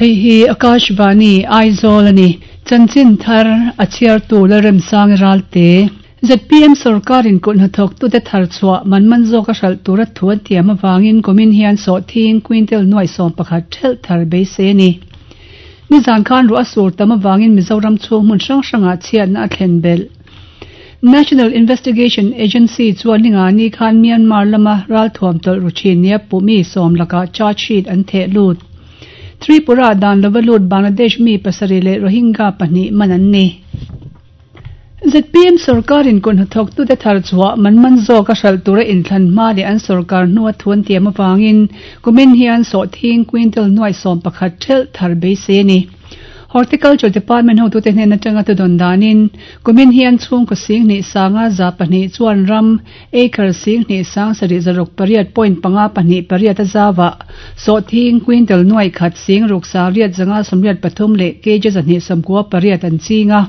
Hei hi Akashvani, Aizawl a ni. Chanchin thar a chhiartu Lalremsangi Ralte. Zpm sorkarin kut hnathawktute thar chhuah man man zawka hralh tura thu an tiam avangin kumin hian sawhthing quintal nuaih 11 thelh thar beisei a ni. Nizan khan ruah a sur tam avangin Mizoram chhung hmun hrang hrangah chhiatna a thlen belh. National Investigation Agency chuan ningani khan Myanmar lama ralthuam tawlh ru thin nia puhmi sawm lakah charge sheet an theh lut. Tripura dan lova lut Bangladesh mi pasarih leh Rohingya pahnih man an ni. Zpm sorkarin kut hnathawktute thar chhuah man man zawk a hralh tura inthlan hma leh an sorkar hnua thu an tiam avangin kumin hian sawhthing quintal nuaih 11 thelh thar beisei a ni. Horticulture Department hotute hnen atanga thudawn danin kumin hian chhungkaw 2 502 chuan ram Acre 2 7 6 6 point panga pahnih pariat a zauah sawhthing quintal nuaih khat 6 6 583 leh kg 298 an ching a.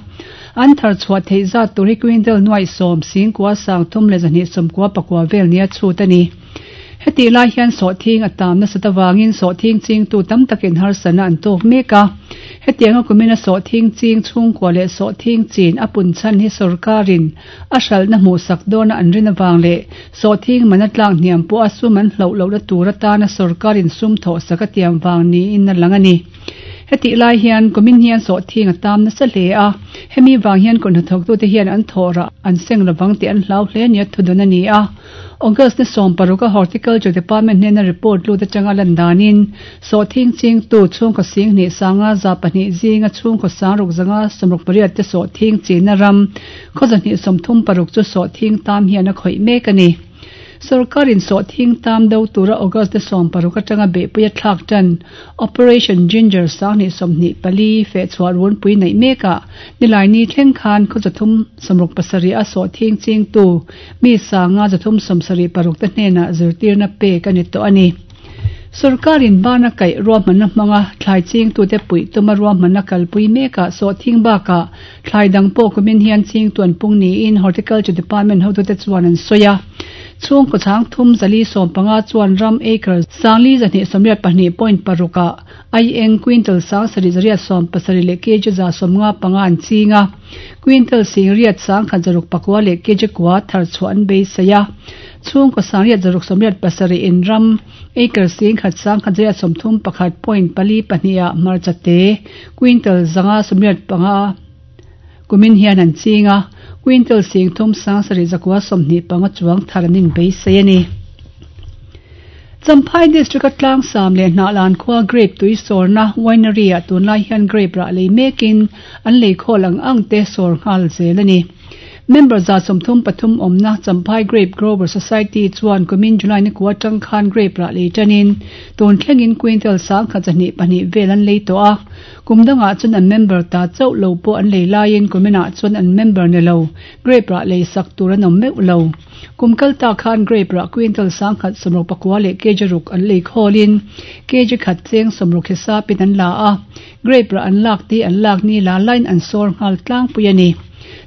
An thar chhuah theih zat tur hi quintal nuaih 10 9 3 leh 299 vel nia chhut a ni. Hetih lai hian sawhthing a tam nasat avangin sawhthing chingtu tam takin harsatna an tawk mek a. Hetianga kumina sawhthing ching chhungkua leh sawhthing chin a pun chhan hi sorkarin a hralhna hmuhsak dawna an rin avang leh sawhthing man a tlak hniam pawh a sum an hloh lohna tur atana sorkarin sum thawhsak a tiam vang niin a lang a ni. Hetih lai hian kumin hian sawhthing a tam nasa hle a, hemi vang hian kut hnathawktute hian an thawh rah an seng lovang tih an hlau hle nia thudawn a ni a. August ni 16 a Horticulture Department hnena report lut atanga lan danin sawhthing chingtu chhungkaw 2 502 zinga chhungkaw 6 568 te sawhthing chinna ram khaw 236 chu sawhthing tam hian a khawih mek a ni. Sorkarin sawhthing tam do tura August ni 16 atanga beihpui a thlak tan Operation Ginger 2024 feh chhuah runpui neih mekah nilaini thleng khan khaw 367 a sawhthing chingtu mi 5 376 te hnenah zirtirna pek a ni tawh a ni. Sorkarin bana kaih ruahmanna hmanga thlai chingtute puih tuma ruahmanna kalpui mekah sawhthing bakah thlai dang pawh kumin hian chingtu an pung niin Horticulture Department hotute chuan an sawi a. Chhungkaw chhang thum 415 chuan ram acre 4 282 point paruk ah aieng quintal 7 870 leh kg 155 an ching a. Quintal 8 169 leh kg kua thar chhuah an beisei a. Chhungkaw 8 687 in ram acre 1 131 point pali pahnih ah hmarcha te quintal 585 kumin hian an ching a. Quintal 3 7 925 chuang thar an inbeisei a ni. Champhai District a tlang sam leh Hnahlan khua grape tui sawrna winery ah tunlai hian grape rah lei mekin an lei khawl ang ang te sawr nghal zel a ni. Member 133 awmna Champhai Grape Grower Society chuan kumin July ni kua tang khan grape rah lei tanin tun thlengin quintal 124 vel an lei tawh a. Kum dangah chuan an member ta chauh lo pawh an lei laiin kuminah chuan an member ni lo grape rah lei sak tur an awm meuh lo. Kum kalta khan grape rah quintal 169 leh kg ruk an lei khawlin kg khat cheng 60 hisapin an la a. Grape rah an lak ti an lak ni la line an sawr nghal tlangpui a ni.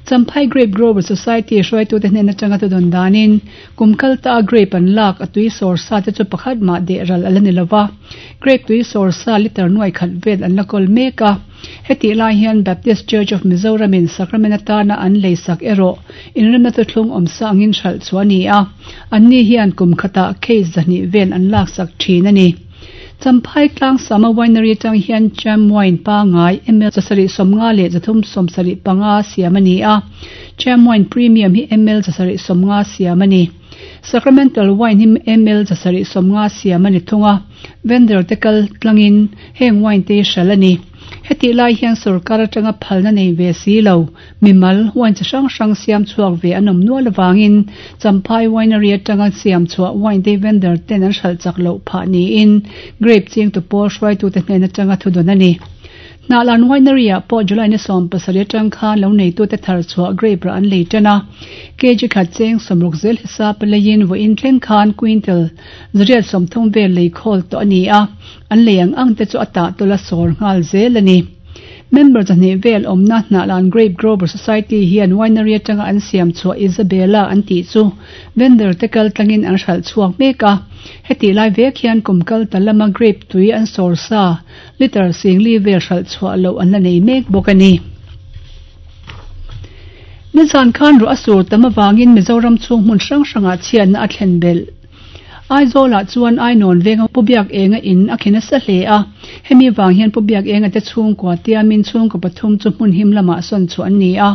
Champhai Grape Grower Society hruaitute hnen atanga thudawn danin kum kalta a grape an lak a tui sawr sa te chu pakhat mah deh ral ala ni lova. Grape tui sawr sa liter nuai khat vel an la kawl mek a. Hetih lai hian Baptist Church of Mizoram in sacrament atana an lei sak erawh inremna thuthlung awm sa angin hralh chu a ni a. An ni hian kum khatah case 200 vel an lak sak thin a ni. Champhai tlang sama winery atang hian cham wine pangai ml 750 leh 375 siam a ni a. Cham wine premium hi ml 750 siam a ni. Sacramental wine hi ml 750 siam a ni thung a. Vendor te kal tlangin heng wine te hral a ni. Hetih lai hian sorkar atanga phalna nei ve si lo mimal wine chi hrang hrang siam chhuak ve an awm nual awangin Champhai winery atanga siam chhuah wine te vendor ten an hralh chak loh phah niin grape ching tu pawl hruaitute hnen atanga thudawn a ni. Hnahlan winery ah pawh July ni 17 atang khan lo neitute thar chhuah grape rah an lei tan a. Kg khat cheng 60 zel hisap leiin vawiin thleng khan quintal 830 vel lei khawl tawh a ni a. An lei ang ang te chu a tah tula sawr nghal zel a ni. Member 200 vel awmna Hnahlan Grape Grower Society hian winery atanga an siam chhuah Isabella an tih chu vendor te kal tlangin an hralh chhuak mek a. Hetih lai vek hian kum kal ta lama grape tui an sawr sa litre 40,000 vel hralh chhuah loh an la nei mek bawk a ni. Nizan khan ruah a sur tam avangin Mizoram chhung hmun hrang hrangah chhiatna a thlen belh. Aizawlah chuan Ainawn venga Pu Biakenga in a khen nasa hle a, hemi vang hian Pu Biakenga te chhungkua tiamin chhungkaw pathum chu hmun him lamah sawn chhuah an ni a.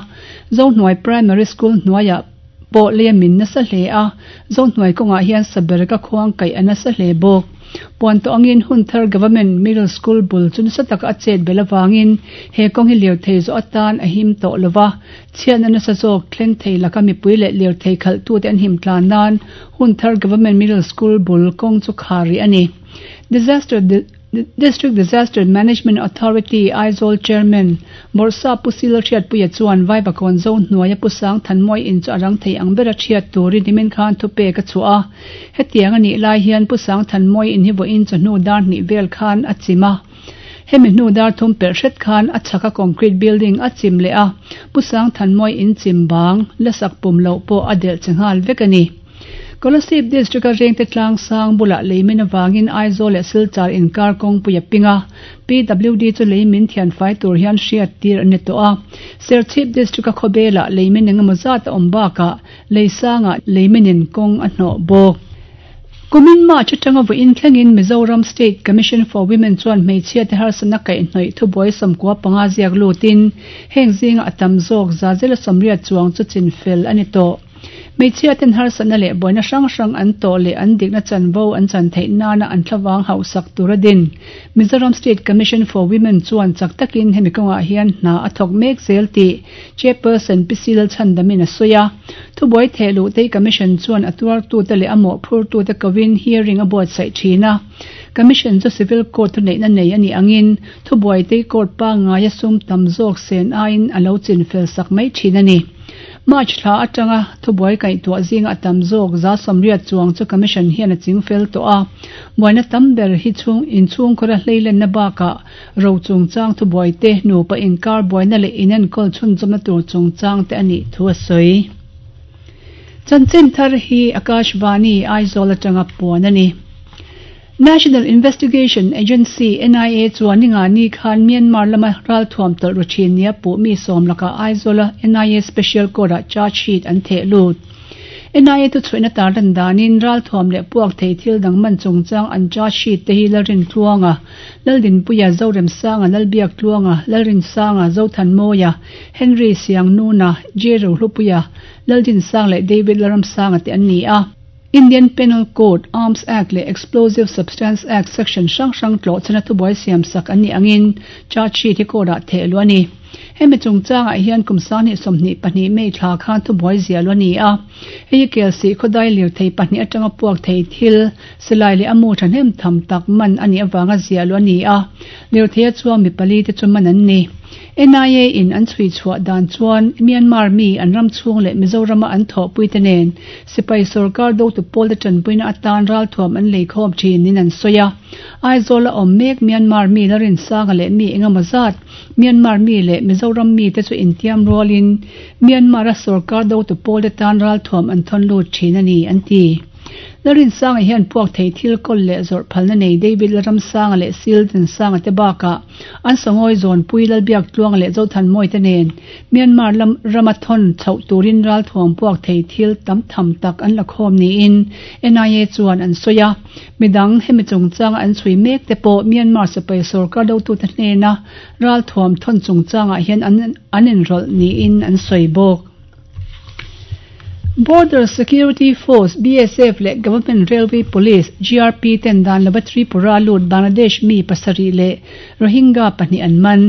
Zohnuai Primary School hnuaiah pawh lei a min nasa hle a, Zohnuai kawngah hian sabereka khuang kaih a nasa hle bawk. Puan tawh angin Hunthar Government Middle School bul chu nasa taka a chet belh avangin he kawng hi lirthei zawh atan a him tawh lova, Chhiatna nasa zawk thleng thei laka mipui leh lirthei khalhtute an him tlan nan Hunthar Government Middle School bul kawng chu khar rih a ni. Disaster District Disaster Management Authority Aizawl Chairman Bawrhsa Pu Sila Hriatpuia chuan Vaivakawn zo hnuaia Pu Sang Thanmawi in chu a rang thei ang bera chhiat turin nimin khan thupek a chhuah a. Hetiang a nih lai hian Pu Sang Thanmawi in hi vawiin chawhnu dar hnih vel khan a chim a. Hemi hnu dar thum pelh hret khan a chhaka concrete building a chim leh a, Pu Sangthanmawi in chim bang la sak pum loh pawh a delh che nghal vek a ni. Kolasib District-a Rengte tlang sang bulah leimin avangin Aizawl leh Silchar inkar kawngpui a ping a, PWD chu leimin thianfai tur hian hriat tir a ni tawh a. Serchhip District-a khawbelah leimin engemaw zat a awm bakah lei sangah leiminin kawng a hnawh bawk. Kumin March atanga vawiin thlengin Mizoram State Commission for Women chuan hmeichhia te harsatna kaihhnawih thubuai 95 ziak lutin heng zinga a tam zawk zazela 80 chuang chu chin fel a ni tawh. Hmeichhia ten harsatna leh buaina hrang hrang an tawh leh an dikna chanvo an chan theih nana an thlavang hauhsak tur a din. Mizoram State Commission for Women chuan chak takin hemi kawngah hian hna a thawk mek zel tih Chairperson Pi Sil Chhandamin a sawi a. Thubuai theh luh tei Commission chuan a tuartute leh a mawhphurtute kovin hearing a buatsaih thin a. Commission chu Civil Court thuneihna nei a nih angin thubuai tei court pangngaia sum tam zawk sen aiin a lo chinfel sak mai thin a ni. March thla atanga thubuai kaihtuah zinga a tam zawk 80 chuang chu Commission hian a chingfel tawh a. Buaina tam ber hi chhung inchhungkhawra hleilenna bakah Ro chungchang thubuai te, nupa inkar buaina leh inenkawl chhunzawmna tur chungchang te a nih thu a sawi. Chanchin thar hi Akashvani, Aizawl atanga puan a ni. National Investigation Agency, NIA, chuan ningani khan Myanmar lama ralthuam tawlh ru thin nia puh mi sawm lakah Aizawla NIA Special Court-ah charge sheet an theh lut. NIA thuchhuihna tarlan danin ralthuam leh puak thei thil dang man chungchang an charge sheet te hi Lalrintluanga, Laldinpuia, Zoremsanga, Lalbiaktluanga, Lalrinsanga, Zothanmawia, Henry Siangnuna, J Rohlupuia, Laldinsanga leh David Lalramsanga te an ni a. Indian Penal Code, Arms Act leh Explosive Substance Act section hrang hrang tlawhchhana thubuai siamsak an nih angin charge sheet hi court ah theh luh a ni. Hemi chungchangah hian kum 2022 May thla khan thubuai ziah luh a ni a. Hei hi Kelsih khawdai lirthei pahnih atanga puak thei thil, silai leh a mu thahnem tham tak man a nih avanga ziah luh a ni a. Lirtheia chuang mi pali te chu man an ni. NIA in an chhui chhuah dan chuan Myanmar mi an ram chhung leh Mizorama an thawhpui te nen sipai sorkar dotu pawl te tanpuina atan ralthuam an lei khawm thin niin an sawi a. Aizawl a awm mek Myanmar mi Larinsanga leh mi engemaw zat Myanmar mi leh Mizoram mi te chu intiam rualin Myanmar a sorkar dotu pawl te tan ralthuam an thawn lut thin a ni, an ti. Larinsanga hian puak thei thil kawl leh zawrh phalna nei David Lalramsanga leh Sildinsanga te bakah an sangawi zawnpui Lalbiaktluanga leh Zothanmawi te nen Myanmar lam rama thawn chhoh turin ralthuam puak thei thil tam tham tak an la khawm niin NIA chuan an sawi a. Midang hemi chungchanga an chhui mek te pawh Myanmar sipai sorkar dotute hnena ralthuam thawn chungchangah hian an an inrawlh niin an sawi bawk. Border Security Force, BSF, leh Government Railway Police, GRP, ten dan lova Tripura lut Bangladesh mi pasarih leh Rohingya pahnih an man.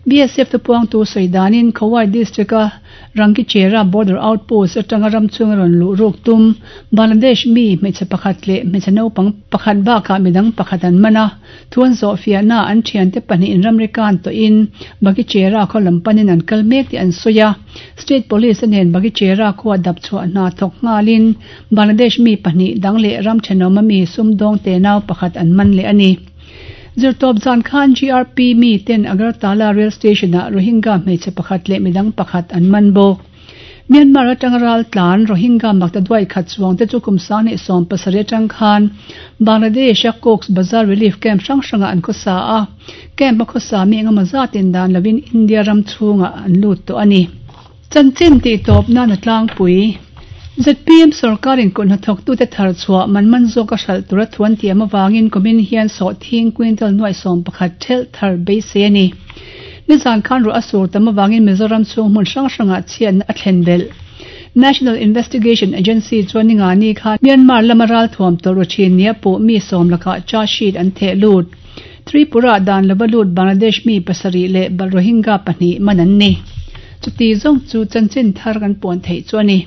BSF thupuangtu sawi danin Khowai District-a Rangichera Border Outpost atanga ram chhunga rawn luh ruk tum Bangladesh mi hmeichhe pakhat leh hmeichhe naupang pakhat bakah midang pakhat an man a. Thu an zawhfiahna an thiante pahnihin ramri kan tawhin Bagichera khaw lam panin an kal mek tih an sawi a. State Police a nen Bagichera khua dap chhuah hna thawk nghalin Bangladesh mi pahnih dang leh ram thenawma mi sumdawng tenau pakhat an man leh a ni. Zirtawp zan khan GRP mi ten Agartala Rail Station-ah Rohingya hmeichhe pakhat leh midang pakhat an man bawk. Myanmar atanga ral tlan Rohingya maktaduai khat chuang te chu kum 2017 atang khan Bangladesh-a Cox's Bazar Relief Camp hrang hrangah an khawsa a, camp a khawsa mi engemaw zatin dan lovin India ram chhungah an lut tawh a ni. Chanchin tihtawp nan a tlangpui. Zpm sorkarin kut hnathawktute thar chhuah man man zawka hralh tura thu an tiam avangin kumin hian sawhthing quintal nuaih 11 thelh thar beisei a ni. Nizan khan ruah a sur tam avangin Mizoram chhung hmun hrang hrangah chhiatna a thlen belh. National Investigation Agency chuan ningani khan Myanmar lama ralthuam tawlh ru thin nia puh mi sawm lakah charge sheet an theh lut. Tripura dan lova lut Bangladesh mi pasarih leh Rohingya pahnih man an ni. Chuti zawng chu chanchin thar kan puan theih chu a ni.